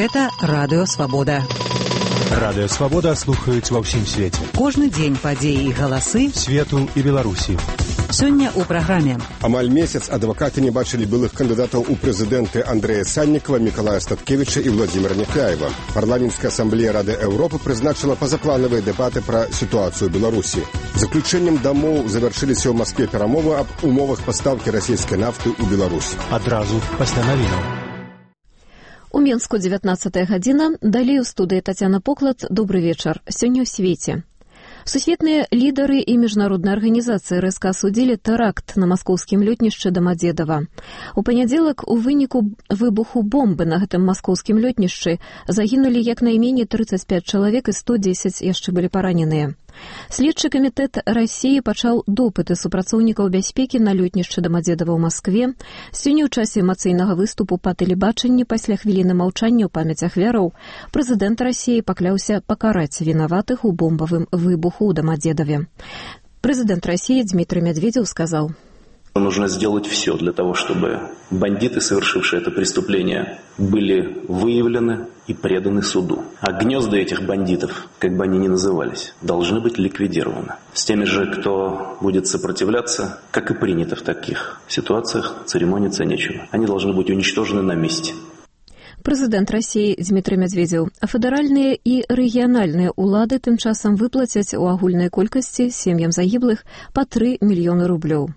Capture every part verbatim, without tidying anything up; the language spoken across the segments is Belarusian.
Гэта Радыё Свабода. Радыё Свабода слухаюць ва ўсім свеце. Кожны дзень падзеі і галасы свету і Беларусі. Сёння ў праграме. Амаль месяц адвакаты не бачылі былых кандыдатаў у прэзідэнты Андрэя Саннікава, Мікалая Статкевіча і Владзіміра Няфляева. Парламенцкая асамблея Рады Еўропы прызначыла пазапланавыя дэбаты пра сітуацыю Беларусі. Заключэннем дамоў завяршыліся ў Маскве перамовы аб умовах пастаўкі расійскай нафты ў Беларусь. Адразу пасля навінаў. У Менску дзевятнаццатая гадзіна. Далей у студыі Тацяна Поклад. Добры вечар. Сёння ў свеце. Сусветныя лідары і міжнародныя арганізацыі рэзка асудзілі тэракт на маскоўскім лётнішчы Дамадзедава. У панядзелак у выніку выбуху бомбы на гэтым маскоўскім лётнішчы загінулі як найменей трыццаць пяць чалавек і сто дзесяць яшчэ былі параненыя. Следчы камітэт Расіі пачаў допыты супрацоўнікаў бяспекі на лётнішчы Дамадзедава ў Маскве. Сёння ў часе эмацыйнага выступу па тэлебачанні пасля хвіліны маўчання ў памяць ахвяраў прэзідэнт Расіі пакляўся пакараць вінаватых у бомбавым выбуху ў Дамадзедаве. Прэзідэнт Расіі Дмітрий Медведев сказал: Нужно сделать все для того, чтобы бандиты, совершившие это преступление, были выявлены и преданы суду. А гнезда этих бандитов, как бы они ни назывались, должны быть ликвидированы. С теми же, кто будет сопротивляться, как и принято в таких ситуациях, церемониться нечего. Они должны быть уничтожены на месте. Прэзідэнт Расіі Дмітрий Медведев. А федэральныя і рэгіянальныя ўлады тым часам выплацяць у агульнай колькасці сем'ям загіблых па тры мільёны рублёў.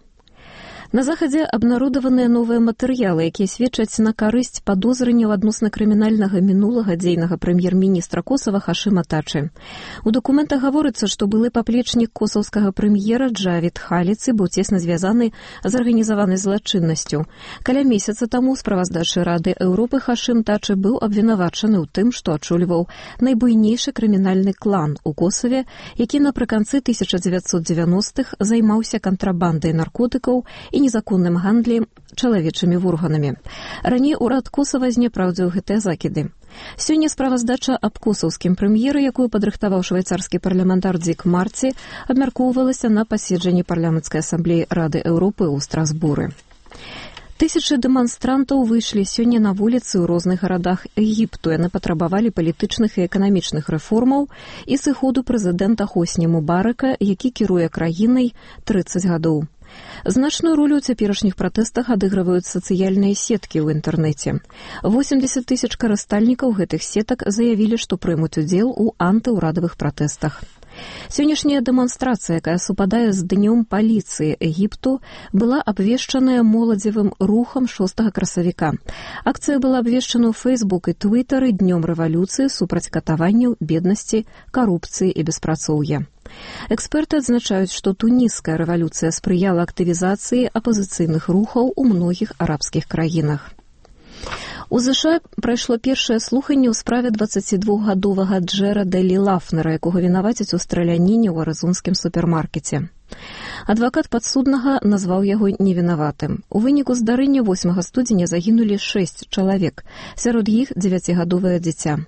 На захадзе абнародаваныя новыя матэрыялы, якія сведчаць на карысць падозрэнняў адносна крымінальнага мінулага дзейнага прэм'ер-міністра Косава Хашыма Тачы. У дакументах гаворыцца, што былы паплечнік косаўскага прэм'ера Джавід Халіцы быў цесна звязаны з арганізаванай злачыннасцю. Каля месяца таму з справаздачы Рады Еўропы Хашым Тачы быў абвінавачаны ў тым, што ачоліваў найбуйнейшы крымінальны клан у Косаве, які напрыканцы тысяча дзевяцьсот дзевяностых займаўся кантрабандай наркотыкаў і незаконным гандлем чалавечымі вурганамі. Раней урад Косава знепраўдзіў гэтыя закіды. Сёння справаздача аб косаўскім прэм'еры, якую падрыхтаваў швейцарскі парламентар Дзік Марці, абмяркоўвалася на паседжанні парламенцкай асамблеі Рады Еўропы ў Страсбуры. Тысячы дэманстрантаў выйшлі сёння на вуліцы ў розных гарадах Егіпту. Яны патрабавалі палітычных і эканамічных рэформаў і сыходу прэзідэнта Хосні Мубарака, які кіруе краінай трыццаць гадоў. Значную ролю ў цяперашніх пратэстах адыгрываюць сацыяльныя сеткі ў інтэрнэце. восемьдесят тысяч карыстальнікаў гэтых сетак заявілі, што прымуць удзел у антыўрадавых пратэстах. Сённяшняя дэманстрацыя, якая супадае з днём паліцыі Егіпту, была абвешчаная моладзевым рухам шостага красавіка. Акцыя была абвешчана ў Фейсбук і Твітары днём рэвалюцыі супраць катаванняў, беднасці, карупцыі і беспрацоўя. Эксперты адзначаюць, што туніская рэвалюцыя спрыяла актывізацыі апазіцыйных рухаў у многіх арабскіх краінах. У ЗША прайшло першае слуханне ў справе дваццацідвухгадовага Джэрэда Лі Лафнера, якога вінавацяць у страляніне ў арызонскім супермаркеце. Адвакат падсуднага назваў яго невінаватым. У выніку здарэння восьмага студзеня загінулі шэсць чалавек, сярод іх дзевяцігадовае дзіця.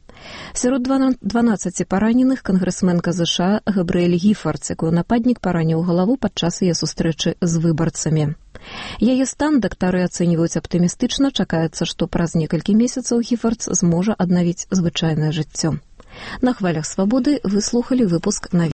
Сярод дванаццаці параненых кангрэсменка ЗША Габрыэль Гіфардс, якую нападнік параніў галаву падчас яе сустрэчы з выбарцамі. Яе стан дактары ацэньваюць аптымістычна, чакаецца, што праз некалькі месяцаў Гіфардс зможа аднавіць звычайнае жыццё. На хвалях Свабоды вы слухалі выпуск навін.